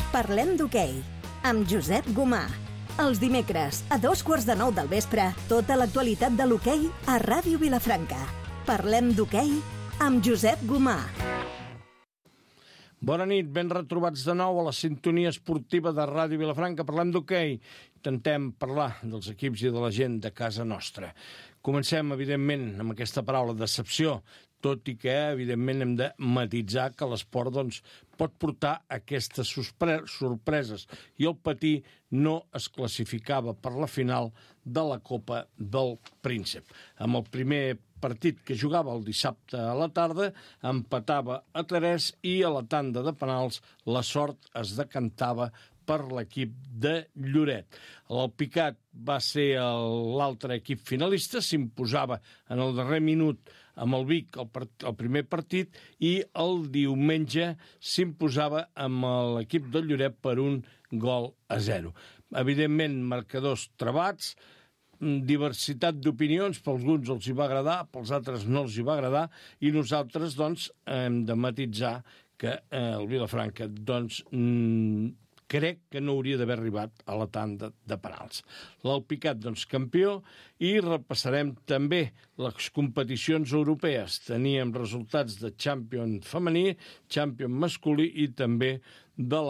Parlem d'hoquei, amb Josep Gomà. Els dimecres, a 8:45 del vespre, tota l'actualitat de l'hoquei a Ràdio Vilafranca. Parlem d'hoquei amb Josep Gomà. Bona nit, ben retrobats de nou a la sintonia esportiva de Ràdio Vilafranca. Parlem d'hoquei. Intentem parlar dels equips i de la gent de casa nostra. Comencem, evidentment, amb aquesta paraula decepció, tot i que, evidentment, hem de matitzar que l'esport pot portar aquestes sorpreses. I el Patí no es classificava per la final de la Copa del Príncep. Amb el primer partit que jugava el dissabte a la tarda, empatava a 3 i a la tanda de penals la sort es decantava per l'equip de Lloret. L'Alpicat va ser l'altre equip finalista, s'imposava en el darrer minut amb el Vic el primer partit i el diumenge s'imposava amb l'equip de Lloret per 1-0. Evidentment, marcadors trebats, diversitat d'opinions, per alguns els hi va agradar, pels altres no els hi va agradar, i nosaltres, hem de matitzar que el Vilafranca, crec que no hauria d'haver arribat a la tanda de penals. L'Alpicat, campió, i repassarem també les competicions europees. Teníem resultats de Champion femení, Champion masculí i també de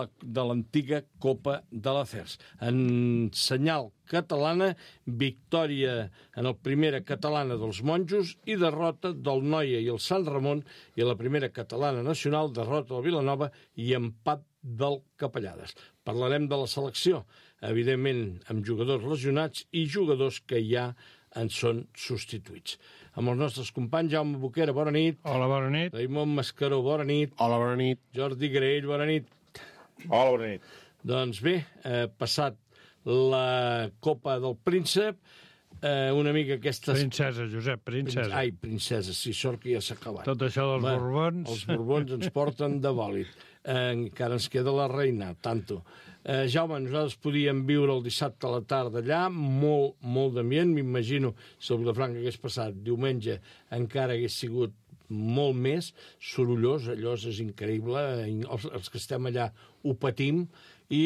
l'antiga Copa de l'Acers. En senyal catalana, victòria en el primera catalana dels monjos i derrota del Noia i el Sant Ramon, i la primera catalana nacional, derrota del Vilanova i empat del Capellades. Parlarem de la selecció, evidentment amb jugadors lesionats i jugadors que ja en són substituïts. Amb els nostres companys, Jaume Boquera, bona nit. Hola, bona nit. Raimon Mascaró, bona nit. Hola, bona nit. Jordi Graell, bona nit. Hola, bona nit. Doncs bé, passat la Copa del Príncep, una mica aquestes... Princesa, Josep, princesa. Ai, princesa, sí, sort que ja s'ha acabat. Tot això dels Borbons... Els Borbons ens porten de bòlit. Encara ens queda la reina, tanto. Jaume, nosaltres podíem viure el dissabte a la tarda allà, molt d'ambient, m'imagino, si el Vilafranca hagués passat diumenge, encara hagués sigut molt més sorollós, allò és increïble, els que estem allà ho patim, i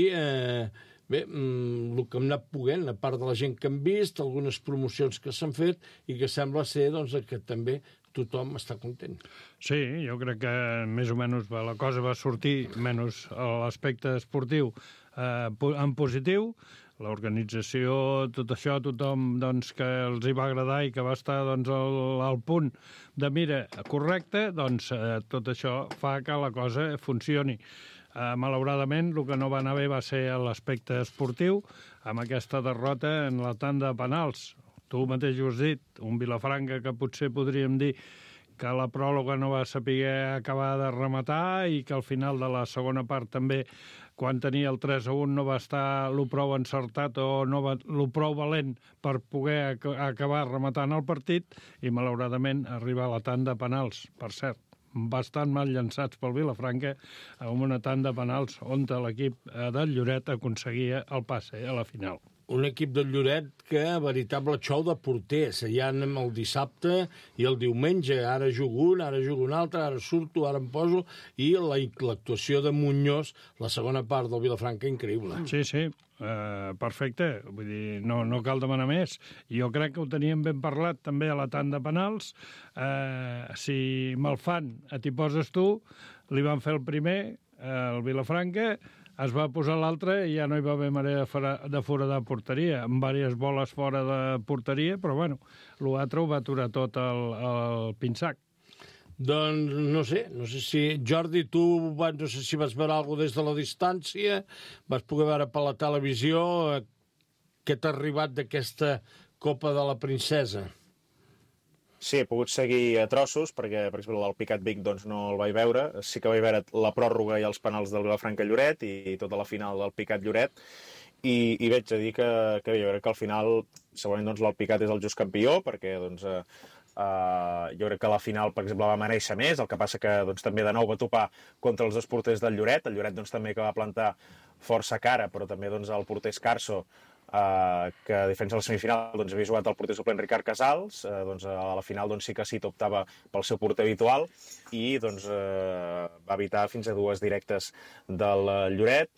bé, el que hem anat poguent, a part de la gent que hem vist, algunes promocions que s'han fet, i que sembla ser que també tothom està content. Sí, jo crec que més o menys la cosa va sortir, menys l'aspecte esportiu, en positiu. L'organització, tot això, tothom que els hi va agradar i que va estar al punt de mira correcte, tot això fa que la cosa funcioni. Malauradament, el que no va anar bé va ser l'aspecte esportiu, amb aquesta derrota en la tanda de penals. Tu mateix ho has dit, un Vilafranca que potser podríem dir que la pròloga no va saber acabar de rematar i que al final de la segona part també, quan tenia el 3-1, no va estar lo prou encertat o no va lo prou valent per poder acabar rematant el partit i, malauradament, arribar a la tanda de penals, per cert, bastant mal llançats pel Vilafranca, amb una tanda de penals on l'equip del Lloret aconseguia el passe a la final. Un equip del Lloret que, veritable xou de porters, ja anem el dissabte i el diumenge, ara jugo un, ara jugo un altre, ara surto, ara em poso, i l'actuació de Muñoz, la segona part del Vilafranca, increïble. Sí, perfecte, vull dir, no cal demanar més. Jo crec que ho teníem ben parlat també a la tanda de penals. Si me'l fan, t'hi poses tu, li van fer el primer, el Vilafranca, es va posar l'altre i ja no hi va haver manera de foradar porteria, amb diverses boles fora de porteria, però bueno, l'altre ho va aturar tot el pinsac. Doncs no sé si... Jordi, tu no sé si vas veure alguna cosa des de la distància, vas poder veure per la televisió, què t'ha arribat d'aquesta Copa de la Princesa? Sí, he pogut seguir a trossos, perquè, per exemple, l'Alpicat Vic no el vaig veure. Sí que vaig veure la pròrroga i els penals del Vilafranca Lloret i tota la final del Picat Lloret. I veig a dir que jo crec que al final, segurament, l'Alpicat és el just campió, perquè jo crec que la final, per exemple, va mereixer més. El que passa que també de nou va topar contra els dos porters del Lloret. El Lloret també que va plantar força cara, però també el porter Escarso que a diferència de la semifinal doncs, havia jugat el porter suplent Ricard Casals, doncs, a la final doncs, sí que Cito optava pel seu porter habitual i doncs, va evitar fins a 2 directes del Lloret.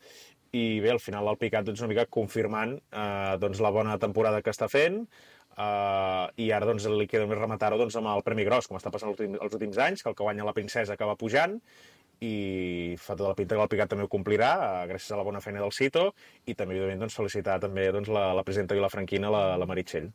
I bé, al final l'Alpicat doncs, una mica confirmant doncs, la bona temporada que està fent, i ara doncs, li queda més rematar-ho doncs, amb el Premi Gros, com està passant els últims anys, que el que guanya la Princesa acaba pujant, i fa tota la pinta que l'Alpicat també ho complirà, gràcies a la bona feina del Cito, i també, evidentment, doncs, felicitar també doncs, la presidenta vilafranquina, la Meritxell.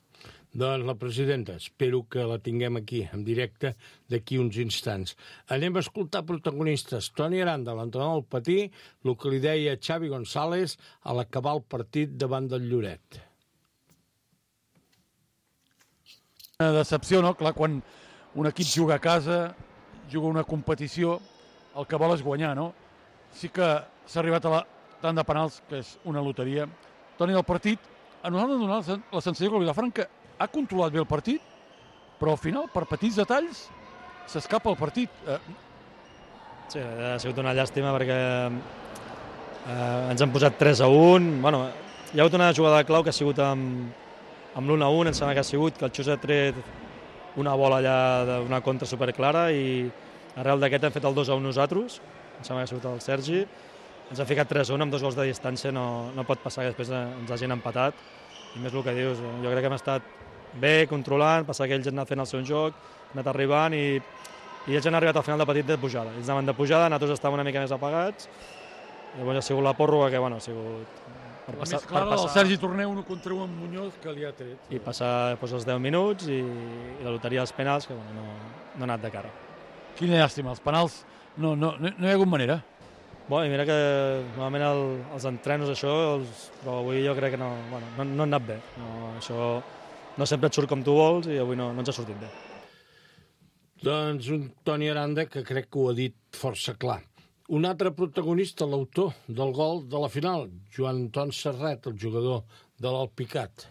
Doncs la presidenta, espero que la tinguem aquí, en directe, d'aquí uns instants. Anem a escoltar protagonistes. Toni Aranda, l'entrenador del Patí, el que li deia Xavi González a l'acabar el partit davant del Lloret. Una decepció, no? Clar, quan un equip juga a casa, juga una competició, el que vol és guanyar, no? Sí que s'ha arribat a la tanda de penals, que és una loteria. Toni, del partit, a nosaltres ens ha donat la sensació que el Vilafranca ha controlat bé el partit, però al final, per petits detalls, s'escapa el partit. Sí, ha sigut una llàstima perquè ens han posat 3-1. Bueno, hi ha hagut una jugada clau que ha sigut amb l'1-1, em sembla que ha sigut que el Xus ha tret una bola allà d'una contra superclara i arrel d'aquest hem fet el 2-1 nosaltres, em sembla que ha sigut el Sergi, ens ha ficat 3-1 amb 2 gols de distància, no pot passar que després ens hagin empatat, i més el que dius, jo crec que hem estat bé, controlant, passar que ells han anat fent el seu joc, han anat arribant i ells han arribat al final del partit de pujada, ells anaven de pujada, nosaltres estàvem una mica més apagats, i llavors ha sigut la pròrroga que, bueno, ha sigut... La més clara del Sergi Torner, 1 contra 1 amb Muñoz, que li ha tret. I passar doncs, els 10 minuts i la loteria dels penals, que bueno, no ha anat de cara. Quina llàstima, els penals no hi ha hagut manera. Bueno, i mira que normalment els entrenos això, però avui jo crec que no han anat bé. Això no sempre et surt com tu vols i avui no ens ha sortit bé. Doncs un Toni Aranda que crec que ho ha dit força clar. Un altre protagonista, l'autor del gol de la final, Joan Anton Serret, el jugador de l'Alpicat.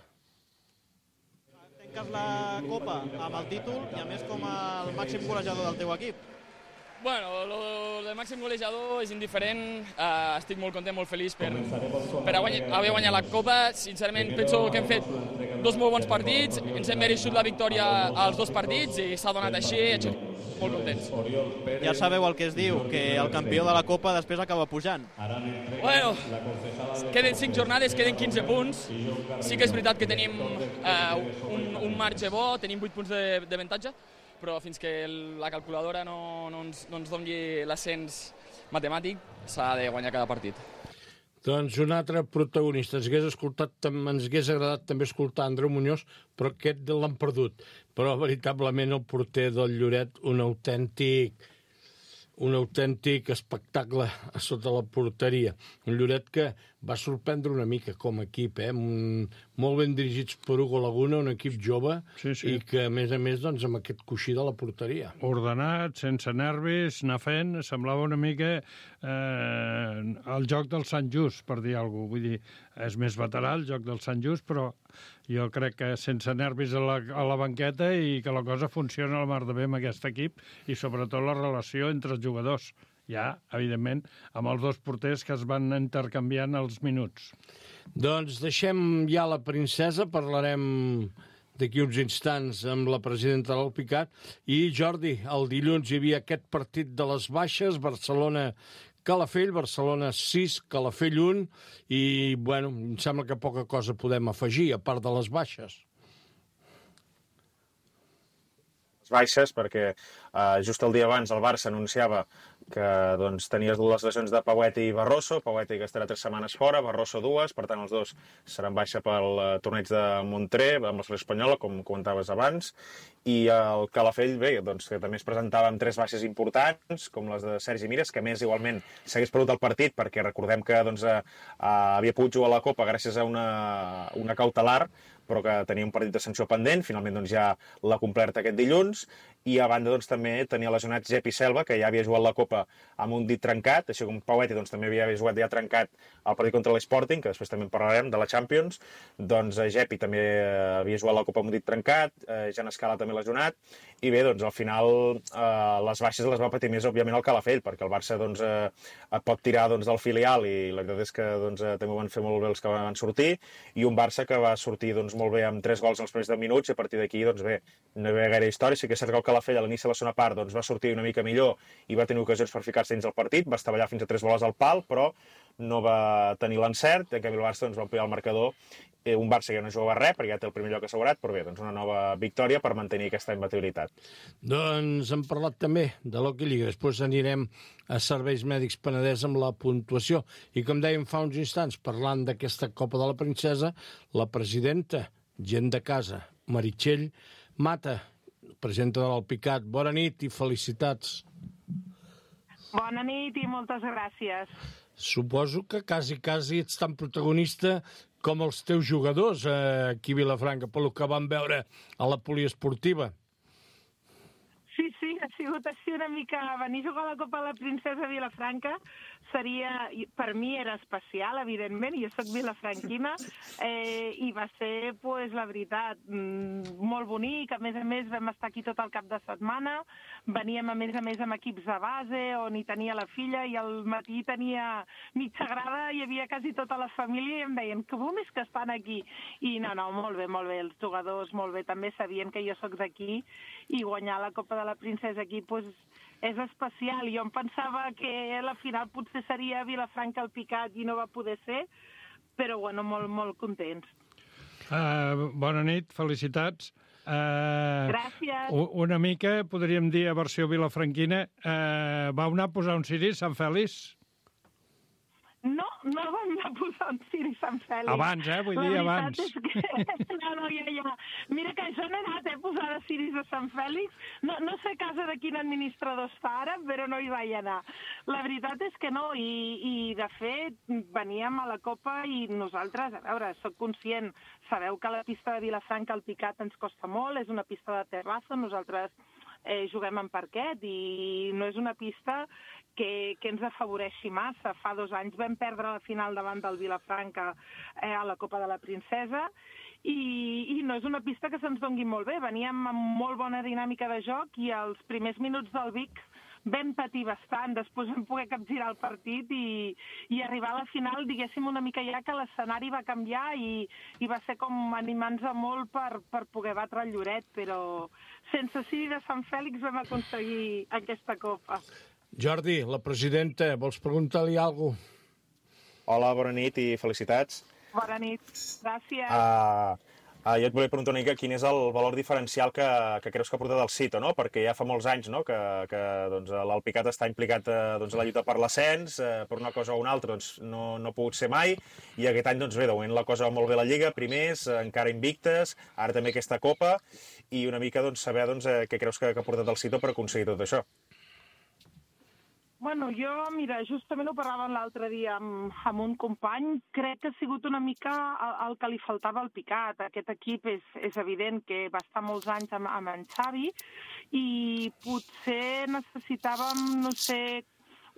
Tanques la Copa amb el títol i a més com el màxim golejador del teu equip. Bueno, el de màxim golejador és indiferent, estic molt content, molt feliç per haver guanyat la Copa. Sincerament, penso que hem fet 2 molt bons partits, ens hem merescut la victòria als 2 partits i s'ha donat així, molt contents. Ja sabeu el que es diu, que el campió de la Copa després acaba pujant. Bueno, queden 5 jornades, queden 15 punts. Sí que és veritat que tenim un marge bo, tenim 8 punts d'avantatge, però fins que la calculadora no ens doni l'ascens matemàtic, s'ha de guanyar cada partit. Doncs un altre protagonista. Ens hagués agradat també escoltar Andreu Muñoz, però aquest l'han perdut. Però veritablement el porter del Lloret, un autèntic espectacle a sota la porteria. Un Lloret que va sorprendre una mica com a equip, molt ben dirigits per Hugo Laguna, un equip jove, sí. I que, a més, doncs, amb aquest coixí de la porteria. Ordenat, sense nervis, anar fent, semblava una mica el joc del Sant Just, per dir alguna cosa. Vull dir, és més veterà el joc del Sant Just, però jo crec que sense nervis a la banqueta i que la cosa funciona a la mar de bé amb aquest equip i sobretot la relació entre els jugadors. Ja, evidentment, amb els 2 porters que es van intercanviant els minuts. Doncs deixem ja la princesa, parlarem d'aquí uns instants amb la presidenta de l'Alpicat. I, Jordi, el dilluns hi havia aquest partit de les baixes, Barcelona-Calafell, Barcelona 6, Calafell 1, i, bueno, em sembla que poca cosa podem afegir, a part de les baixes. Baixes, perquè just el dia abans el Barça anunciava que doncs, tenies 2 lesions de Pauet i Barroso, Pauet que estarà 3 setmanes fora, Barroso 2, per tant els 2 seran baixa pel torneig de Montré, amb la selecció espanyola, com comentaves abans, i el Calafell, bé, doncs, que també es presentava amb 3 baixes importants, com les de Sergi Mires, que més igualment s'hagués perdut el partit, perquè recordem que doncs, havia pogut jugar a la Copa gràcies a una cautelar, però que tenia un partit de sanció pendent, finalment doncs, ja l'ha complert aquest dilluns, i a banda doncs, també tenia lesionat Gepi Selva, que ja havia jugat la Copa amb un dit trencat, així com Paueti doncs, també havia jugat ja trencat el partit contra l'Sporting, que després també en parlarem, de la Champions. Doncs Gepi també havia jugat la Copa amb un dit trencat, Jan Escala també lesionat, i bé, doncs al final les baixes les va patir més, òbviament, el Calafell, perquè el Barça doncs, pot tirar doncs, del filial, i la veritat és que doncs, també ho van fer molt bé els que van sortir, i un Barça que va sortir doncs, molt bé amb 3 gols en els primers 10 minuts, i a partir d'aquí, doncs bé, no hi havia gaire història. Sí que és cert que el Calafell a l'inici de la segona part doncs, va sortir una mica millor i va tenir ocasions per ficar-se dins el partit, va estavellar fins a 3 boles al pal, però no va tenir l'encert, en canvi el Barça doncs, va ampliar el marcador, un Barça que no jugava res, perquè ja té el primer lloc assegurat, però bé, doncs una nova victòria per mantenir aquesta imbatibilitat. Doncs hem parlat també de l'Hockey Lliga, després anirem a Serveis Mèdics Penedès amb la puntuació, i com dèiem fa uns instants, parlant d'aquesta Copa de la Princesa, la presidenta, gent de casa, Meritxell Mata, presidenta de l'Alpicat, bona nit i felicitats. Bona nit i moltes gràcies. Suposo que quasi ets tan protagonista com els teus jugadors aquí a Vilafranca, pel que vam veure a la poliesportiva. Sí, ha sigut així una mica... Venir a jugar a la Copa de la Princesa a Vilafranca seria... Per mi era especial, evidentment, jo soc vilafranquina, i va ser, pues, la veritat, molt bonic. A més, vam estar aquí tot el cap de setmana, veníem, a més, amb equips de base, on hi tenia la filla, i al matí tenia mitja grada, hi havia quasi tota la família, i em deien, que bom és que estan aquí. I no, molt bé, els jugadors molt bé, també sabien que jo soc d'aquí, i guanyar la Copa de la Princesa aquí, pues, és especial. Jo em pensava que la final potser seria Vilafranca Alpicat i no va poder ser, però bueno, molt contents. Bona nit, felicitats. Gràcies. Una mica, podríem dir, a versió vilafranquina, vau anar a posar un ciri a Sant Fèlix? No vam anar a posar un ciri a Sant Fèlix. Abans, vull dir abans. No, ja. Mira que jo no he anat a posar de ciris a Sant Fèlix. No sé a casa de quin administrador està ara, però no hi vaig anar. La veritat és que no, i de fet veníem a la Copa i nosaltres, a veure, soc conscient, sabeu que la pista de Vilafranca Alpicat ens costa molt, és una pista de terrassa, nosaltres juguem en parquet i no és una pista que ens afavoreixi massa. Fa 2 anys vam perdre la final davant del Vilafranca a la Copa de la Princesa i no és una pista que se'ns dongui molt bé. Veníem amb molt bona dinàmica de joc i els primers minuts del Vic vam patir bastant, després vam poder capgirar el partit i arribar a la final, diguéssim, una mica ja que l'escenari va canviar i va ser com animant-nos molt per poder batre el Lloret, però sense ciri de Sant Fèlix vam aconseguir aquesta copa. Jordi, la presidenta, vols preguntar-li alguna cosa? Hola, bona nit i felicitats. Bona nit, gràcies. Jo et volia preguntar una mica quin és el valor diferencial que creus que ha portat el Cito, no? Perquè ja fa molts anys, no?, que doncs, l'Alpicat està implicat doncs, a la lluita per l'ascens, per una cosa o una altra doncs, no ha pogut ser mai, i aquest any, doncs bé, de moment la cosa va molt bé a la Lliga, primers, encara invictes, ara també aquesta Copa, i una mica doncs, saber doncs, què creus que ha portat el Cito per aconseguir tot això. Bueno, jo, mira, justament ho parlàvem l'altre dia amb un company. Crec que ha sigut una mica el que li faltava al Picat. Aquest equip és evident que va estar molts anys amb en Xavi i potser necessitàvem, no sé,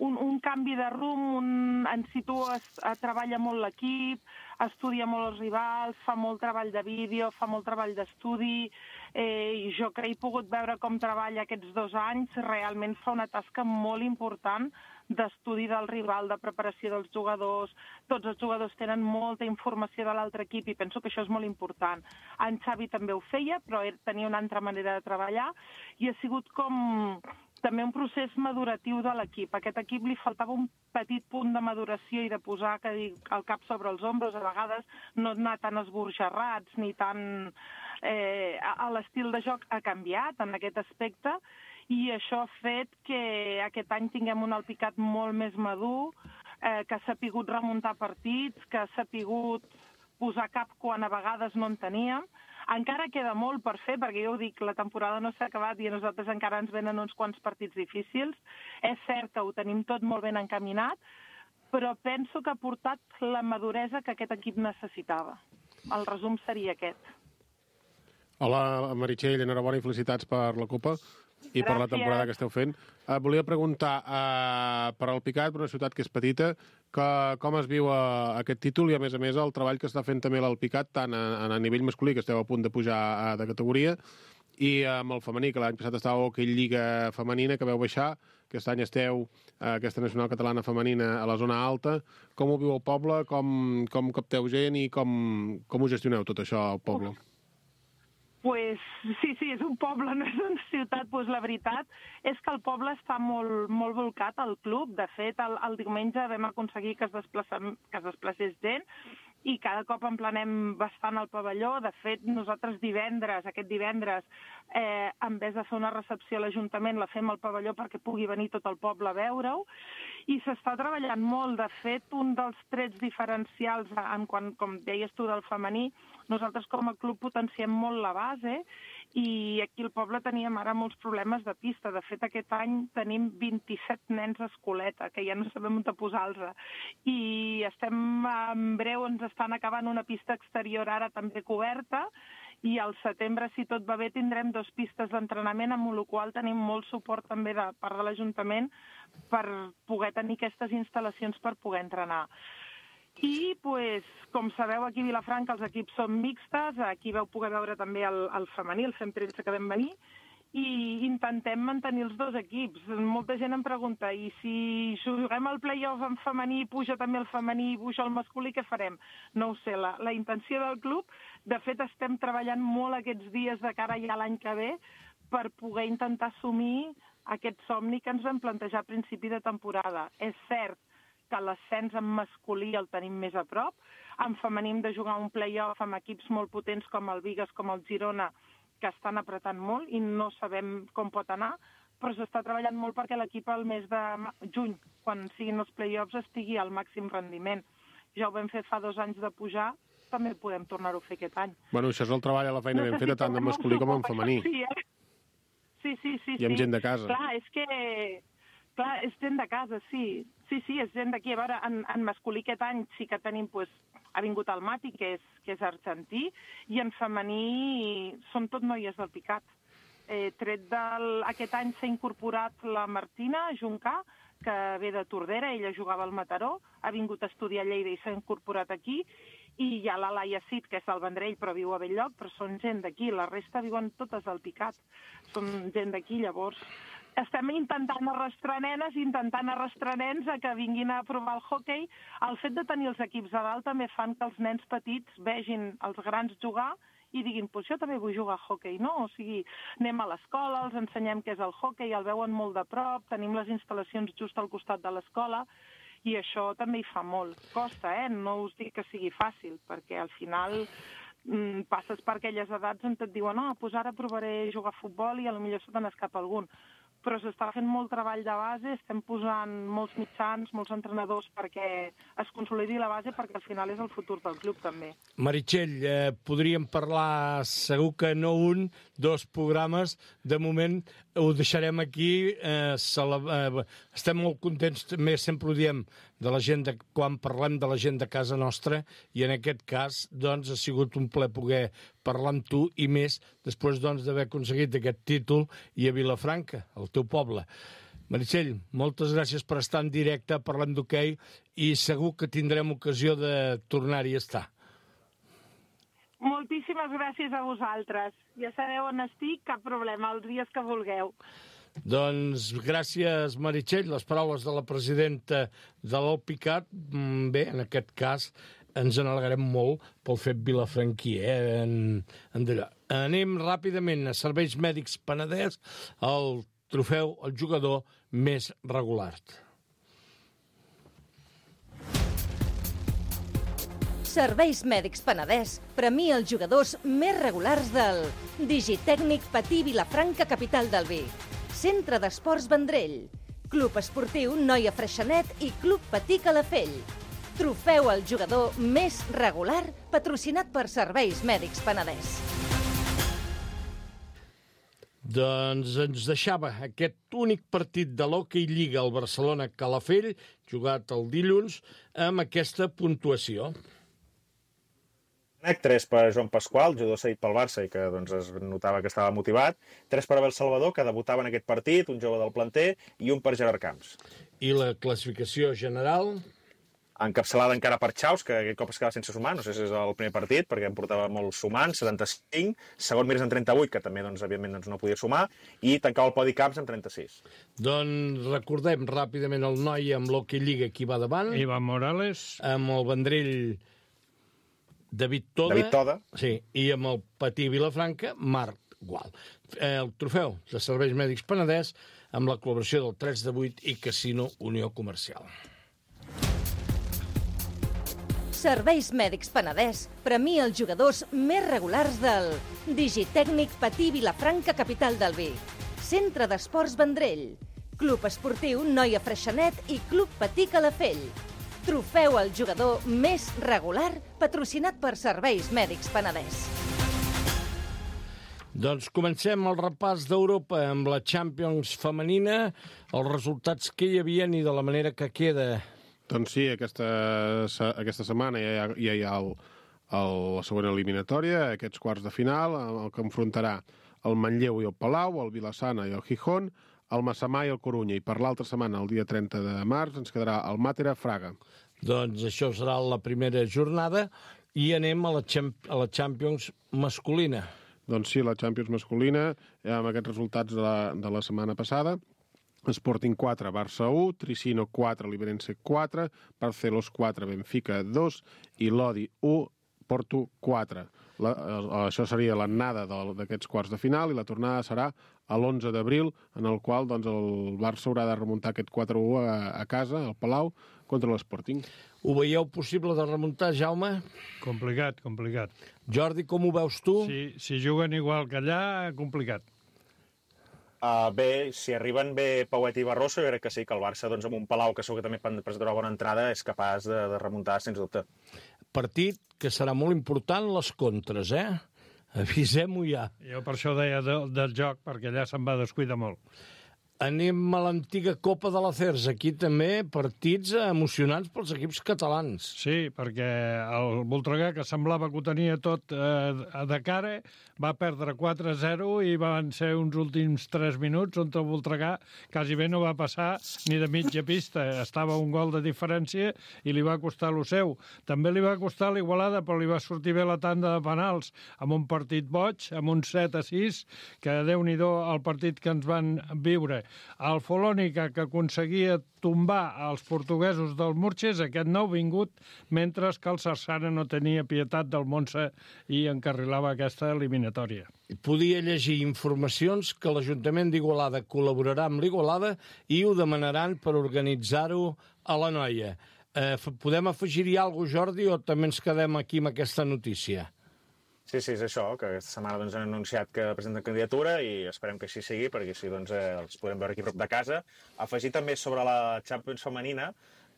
un canvi de rumb, en Cito treballa molt l'equip, estudia molt els rivals, fa molt treball de vídeo, fa molt treball d'estudi, i jo que he pogut veure com treballa aquests 2 anys, realment fa una tasca molt important d'estudi del rival, de preparació dels jugadors. Tots els jugadors tenen molta informació de l'altre equip i penso que això és molt important. En Xavi també ho feia, però tenia una altra manera de treballar i ha sigut com també un procés maduratiu de l'equip. A aquest equip li faltava un petit punt de maduració i de posar el cap sobre els ombros, a vegades no anar tan esborjarrats ni tan... L'estil de joc ha canviat en aquest aspecte i això ha fet que aquest any tinguem un Alpicat molt més madur, que ha sapigut remuntar partits, que ha sapigut posar cap quan a vegades no en teníem. Encara queda molt per fer, perquè jo ho dic, la temporada no s'ha acabat i a nosaltres encara ens venen uns quants partits difícils. És cert que ho tenim tot molt ben encaminat, però penso que ha portat la maduresa que aquest equip necessitava. El resum seria aquest. Hola, Meritxell, enhorabona i felicitats per la Copa. i per la temporada que esteu fent. Volia preguntar per Alpicat, per una ciutat que és petita, com es viu aquest títol i, a més, el treball que està fent també l'Alpicat, tant a nivell masculí, que esteu a punt de pujar de categoria, i amb el femení, que l'any passat estava a Hockey Lliga Femenina, que veu baixar, aquest any esteu aquesta nacional catalana femenina a la zona alta. Com ho viu el poble, com capteu gent i com ho gestioneu tot això al poble? Pues, sí, és un poble, no és una ciutat. Pues la veritat és que el poble està molt, molt volcat al club. De fet, el diumenge vam aconseguir que es desplacés gent i cada cop emplenem bastant el pavelló. De fet, nosaltres aquest divendres, en vez de fer una recepció a l'Ajuntament, la fem al pavelló perquè pugui venir tot el poble a veure-ho. I s'està treballant molt. De fet, un dels trets diferencials, com deies tu, del femení, nosaltres com a club potenciem molt la base i aquí al poble teníem ara molts problemes de pista. De fet, aquest any tenim 27 nens a escoleta, que ja no sabem on posar-los. I en breu ens estan acabant una pista exterior ara també coberta i al setembre, si tot va bé, tindrem 2 pistes d'entrenament, amb la qual tenim molt suport també de part de l'Ajuntament per poder tenir aquestes instal·lacions per poder entrenar. I, com sabeu, aquí a Vilafranca els equips són mixtes, aquí vau poder veure també el femení, el FEM13 que vam venir, i intentem mantenir els 2 equips. Molta gent em pregunta, i si juguem al play-off en femení, puja també el femení i puja el masculí, què farem? No ho sé, la intenció del club, de fet estem treballant molt aquests dies de cara ja a l'any que ve per poder intentar assumir aquest somni que ens vam plantejar a principi de temporada. És cert que l'ascens en masculí el tenim més a prop. En femení hem de jugar un play-off amb equips molt potents com el Vigas, com el Girona, que estan apretant molt i no sabem com pot anar, però s'està treballant molt perquè l'equip al mes de juny, quan siguin els play-offs, estigui al màxim rendiment. Ja ho vam fer fa 2 anys de pujar, també podem tornar-ho a fer aquest any. Bueno, això és el treball a la feina ben feta, tant en masculí com en femení. Sí. I amb gent de casa. Clar, és gent de casa, sí. Sí, és gent d'aquí. A veure, en masculí aquest any sí que tenim, ha vingut el Mati, que és argentí, i en femení són tot noies del Picat. Aquest any s'ha incorporat la Martina Juncà, que ve de Tordera, ella jugava al Mataró, ha vingut a estudiar a Lleida i s'ha incorporat aquí, i hi ha la Laia Cid, que és del Vendrell, però viu a Belllloc, però són gent d'aquí, la resta viuen totes al Picat, són gent d'aquí, llavors estem intentant arrastrar nenes, intentant arrastrar nens a que vinguin a provar el hoquei. El fet de tenir els equips a dalt també fan que els nens petits vegin els grans jugar i diguin, pues jo també vull jugar a hoquei, no? O sigui, anem a l'escola, els ensenyem què és el hoquei, el veuen molt de prop, tenim les instal·lacions just al costat de l'escola, i això també hi fa molt. Costa, no us dic que sigui fàcil, perquè al final passes per aquelles edats on et diuen pues ara provaré jugar a futbol i potser se te n'escapa algun. Però s'està fent molt treball de base, estem posant molts mitjans, molts entrenadors perquè es consolidi la base, perquè al final és el futur del club també. Meritxell, podríem parlar segur que no 2 programes, de moment ho deixarem aquí, estem molt contents, també sempre ho diem, quan parlem de la gent de casa nostra, i en aquest cas doncs, ha sigut un plaer poder parlar amb tu, i més després d'haver aconseguit aquest títol i a Vilafranca, el teu poble. Meritxell, moltes gràcies per estar en directe, parlem d'hoquei, i segur que tindrem ocasió de tornar-hi a estar. Moltíssimes gràcies a vosaltres. Ja sabeu on estic, cap problema, els dies que vulgueu. Doncs gràcies, Meritxell, les paraules de la presidenta de l'Alpicat. Bé, en aquest cas ens n'alegrem molt pel fet vilafranquí, Anem ràpidament a Serveis Mèdics Penedès, el trofeu al jugador més regular. Serveis Mèdics Penedès premia els jugadors més regulars del Digitècnic Patí Vilafranca, capital del Vi, Centre d'Esports Vendrell, Club Esportiu Noia Freixenet i Club Patí Calafell. Trofeu al jugador més regular patrocinat per Serveis Mèdics Penedès. Doncs ens deixava aquest únic partit de l'Hockey Lliga al Barcelona-Calafell, jugat el dilluns, amb aquesta puntuació. Freixenet, 3 per Joan Pasqual, jugador cedit pel Barça i que doncs, es notava que estava motivat, 3 per Abel Salvador, que debutava en aquest partit, un jove del planter, i un per Gerard Camps. I la classificació general? Encapçalada encara per Chaus, que aquest cop es quedava sense sumar, no sé si és el primer partit, perquè em portava molt sumant, 75, segon Mirs en 38, que també, doncs, evidentment, doncs, no podia sumar, i tancava el podi Camps amb 36. Doncs recordem ràpidament el noi amb l'Hockey Lliga qui va davant. Ivan Morales. Amb el Vendrell David Toda. Sí, i amb el Patí Vilafranca, Marc Gual. El trofeu de Serveis Mèdics Penedès amb la col·laboració del 3 de 8 i Casino Unió Comercial. Serveis Mèdics Penedès premia els jugadors més regulars del Digitècnic Patí Vilafranca, capital del vi. Centre d'Esports Vendrell. Club Esportiu Noia Freixenet i Club Patí Calafell. Trofeu al jugador més regular patrocinat per Serveis Mèdics Penedès. Doncs comencem el repàs d'Europa amb la Champions femenina, els resultats que hi havia i de la manera que queda. Doncs sí, aquesta setmana ja hi ha la segona eliminatòria, aquests quarts de final, el que enfrontarà el Manlleu i el Palau, el Vilassana i el Gijón, el Massamà i el Corunya. I per l'altra setmana, el dia 30 de març, ens quedarà el Màtera Fraga. Doncs això serà la primera jornada i anem a la Champions masculina. Doncs sí, la Champions masculina, amb aquests resultats de la setmana passada. Sporting 4, Barça 1, Tricino 4, Liberense 4, Barcelos 4, Benfica 2 i Lodi 1, Porto 4. Això seria l'anada d'aquests quarts de final i la tornada serà a l'11 d'abril, en el qual doncs, el Barça haurà de remuntar aquest 4-1 a casa, al Palau, contra l'Sporting. Ho veieu possible de remuntar, Jaume? Complicat. Jordi, com ho veus tu? Si juguen igual que allà, complicat. Bé, si arriben bé Pauet i Barroso, jo crec que sí, que el Barça, doncs, amb un Palau que segur que també presentarà bona entrada, és capaç de remuntar, sens dubte. Partit que serà molt important, les contres, Avisem-ho ja. Jo per això deia del joc, perquè allà se'n va descuidar molt. Anem a l'antiga Copa de la CERS. Aquí també partits emocionants pels equips catalans. Sí, perquè el Voltregà, que semblava que ho tenia tot de cara, va perdre 4-0 i van ser uns últims 3 minuts on el Voltregà quasi bé no va passar ni de mitja pista. Estava un gol de diferència i li va costar lo seu. També li va costar l'Igualada, però li va sortir bé la tanda de penals amb un partit boig, amb un 7-6, que Déu-n'hi-do el partit que ens van viure. El Folònica, que aconseguia tombar els portuguesos del Murches, aquest nou vingut, mentre que el Sarsana no tenia pietat del Montse i encarrilava aquesta eliminatòria. Podia llegir informacions que l'Ajuntament d'Igualada col·laborarà amb l'Igualada i ho demanaran per organitzar-ho a la Noia. Podem afegir-hi alguna cosa, Jordi, o també ens quedem aquí amb aquesta notícia? Sí, és això, que aquesta setmana doncs, han anunciat que presenten candidatura i esperem que així sigui, perquè així doncs, els podrem veure aquí prop de casa. Afegir també sobre la Champions femenina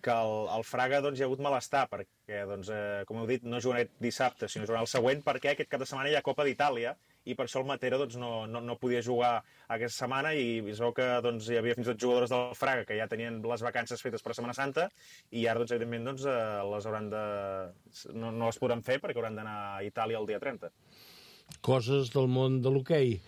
que el Fraga doncs, hi ha hagut malestar, perquè, doncs, com heu dit, no jugarà dissabte, sinó jugarà el següent, perquè aquest cap de setmana hi ha Copa d'Itàlia, i per això el Matera doncs, no podia jugar aquesta setmana, i es veu que doncs, hi havia fins i tot jugadores del Fraga que ja tenien les vacances fetes per Setmana Santa, i ara, doncs, evidentment, doncs, les hauran no les podran fer perquè hauran d'anar a Itàlia el dia 30. Coses del món de l'hoquei.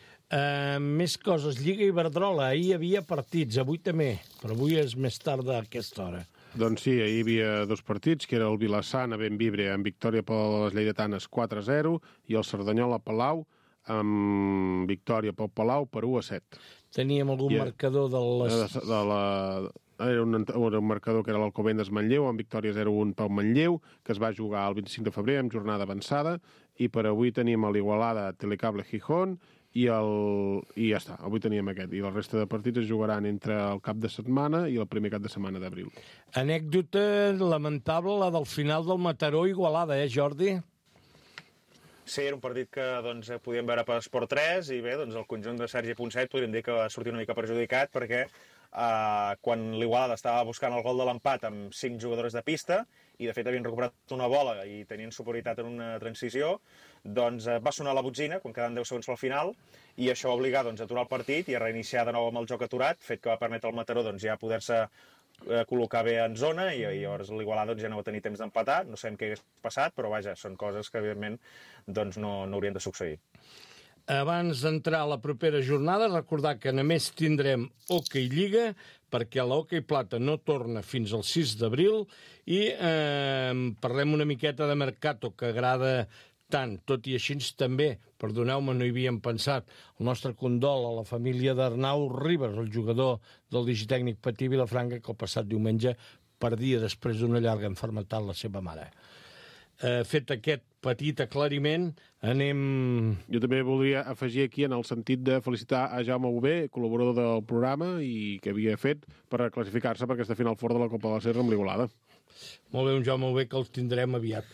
Més coses. Lliga Iberdrola. Ahir hi havia partits, avui també, però avui és més tard a aquesta hora. Doncs sí, ahir hi havia 2 partits, que era el Vilassana Benvibre amb victòria per les lleidatanes 4-0 i el Cerdanyola Palau amb victòria pel Palau per 1-7. Teníem algun marcador de les... Era un marcador que era l'Alcobendas Manlleu, amb victòria 0-1 pel Manlleu, que es va jugar el 25 de febrer amb jornada avançada, i per avui teníem l'Igualada Telecable Gijón, i ja està, avui teníem aquest. I la resta de partits es jugaran entre el cap de setmana i el primer cap de setmana d'abril. Anècdota lamentable, la del final del Mataró-Igualada, Jordi? Sí, era un partit que doncs, podíem veure per Esport 3 i bé, doncs, el conjunt de Sergi Ponset podríem dir que va sortir una mica perjudicat perquè quan l'Igualada estava buscant el gol de l'empat amb 5 jugadors de pista i de fet havien recuperat una bola i tenien superioritat en una transició, doncs va sonar la botzina quan quedaven 10 segons pel final i això va obligar doncs, a aturar el partit i a reiniciar de nou amb el joc aturat, fet que va permetre al Mataró doncs, ja poder-se col·locar bé en zona i llavors l'Igualada doncs, ja no va tenir temps d'empatar, no sabem què hagués passat, però vaja, són coses que evidentment doncs, no haurien de succeir. Abans d'entrar a la propera jornada, recordar que només tindrem Hockey Lliga, perquè la Hockey Plata no torna fins al 6 d'abril, i parlem una miqueta de Mercato, que agrada tant, tot i així també, perdoneu-me, no hi havíem pensat, el nostre condol a la família d'Arnau Ribas, el jugador del Digitècnic Patí Vilafranca, que el passat diumenge perdia després d'una llarga malaltia la seva mare. Fet aquest petit aclariment, anem... Jo també voldria afegir aquí en el sentit de felicitar a Jaume Bové, col·laborador del programa i que havia fet per classificar-se per aquesta final fort de la Copa de la Serra amb l'Igualada. Molt bé, un Jaume Bové que els tindrem aviat.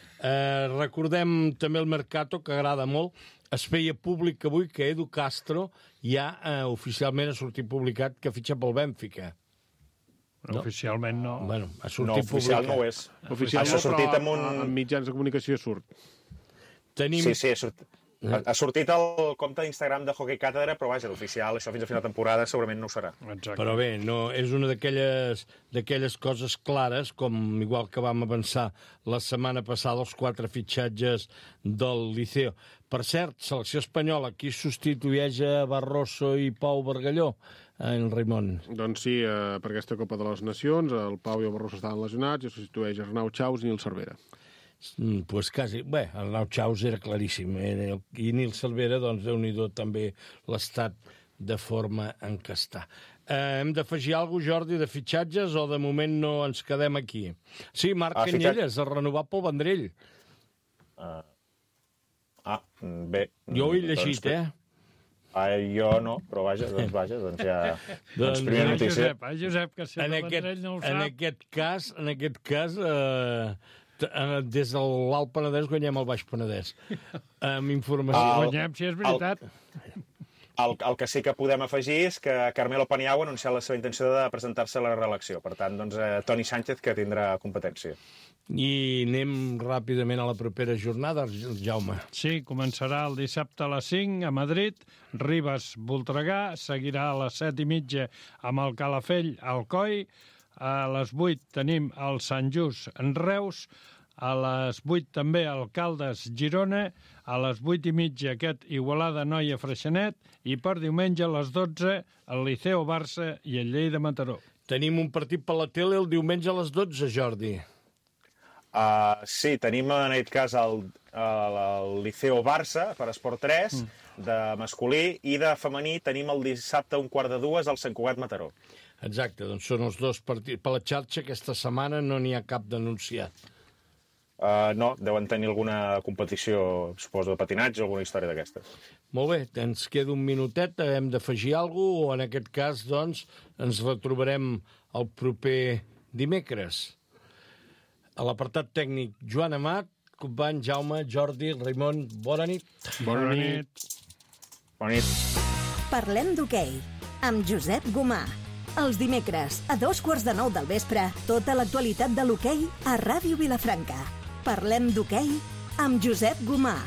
Recordem també el Mercato, que agrada molt. Es feia públic avui que Edu Castro ja oficialment ha sortit publicat que fitxa pel Bènfica. No. Oficialment no. Bueno, ha sortit no, oficial publicat. no ho és. Oficial no, però en mitjans de comunicació surt. Tenim... Sí, ha sortit el compte d'Instagram de Hockey Càtedra, però vaja, l'oficial, això fins a final de temporada segurament no ho serà. Exacte. Però bé, no, és una d'aquelles coses clares, com igual que vam avançar la setmana passada els 4 fitxatges del Liceo. Per cert, selecció espanyola, qui substitueix a Barroso i Pau Bargalló? En Raimon. Doncs sí, per aquesta Copa de les Nacions, el Pau i el Barroso estaven lesionats i substitueix Arnau Chaus i Nil Cervera. Pues quasi. Bé, Arnau Chaus era claríssim. I Nil Cervera, doncs, déu-n'hi-do també l'estat de forma en què està. Hem d'afegir alguna cosa, Jordi, de fitxatges o de moment no ens quedem aquí? Sí, Marc Canyelles, el renovat pel Vendrell. Bé. Jo ho he llegit, Jo no, però vaja, doncs ja... doncs primera notícia. Josep, que si el Vendrell no ho sap... En aquest cas, des de l'Alt Penedès guanyem el Baix Penedès. Amb informació... Guanyem, si és veritat. El que sí que podem afegir és que Carmelo Paniagua ha anunciat la seva intenció de presentar-se a la reelecció. Per tant, doncs, Toni Sánchez, que tindrà competència. I anem ràpidament a la propera jornada, Jaume. Sí, començarà el dissabte a les 5 a Madrid, Ribes-Voltregà, seguirà a les 7:30 amb el Calafell Alcoi, a les 8 tenim el Sant Just en Reus, a les 8 també el Caldes Girona, a les 8:30 aquest Igualada Noia Freixenet i per diumenge a les 12 el Liceo Barça i el Lleida Mataró. Tenim un partit per la tele el diumenge a les 12, Jordi. Sí, tenim en aquest cas el Liceo Barça per Esport 3 de masculí i de femení tenim el dissabte a 1:15 al Sant Cugat Mataró. Exacte, doncs són els dos partits. Per la xarxa aquesta setmana no n'hi ha cap denunciat. No, deuen tenir alguna competició, suposo, de patinatge o alguna història d'aquestes. Molt bé, ens queda un minutet, hem d'afegir alguna cosa, o en aquest cas, doncs, ens retrobarem el proper dimecres. A l'apartat tècnic, Joan Amat, company Jaume, Jordi, Raimon, bona nit. Bona nit. Bona nit. Parlem d'hoquei, amb Josep Gomà. Els dimecres, a 8:45 del vespre, tota l'actualitat de l'hoquei a Ràdio Vilafranca. Parlem d'hoquei amb Josep Gomà.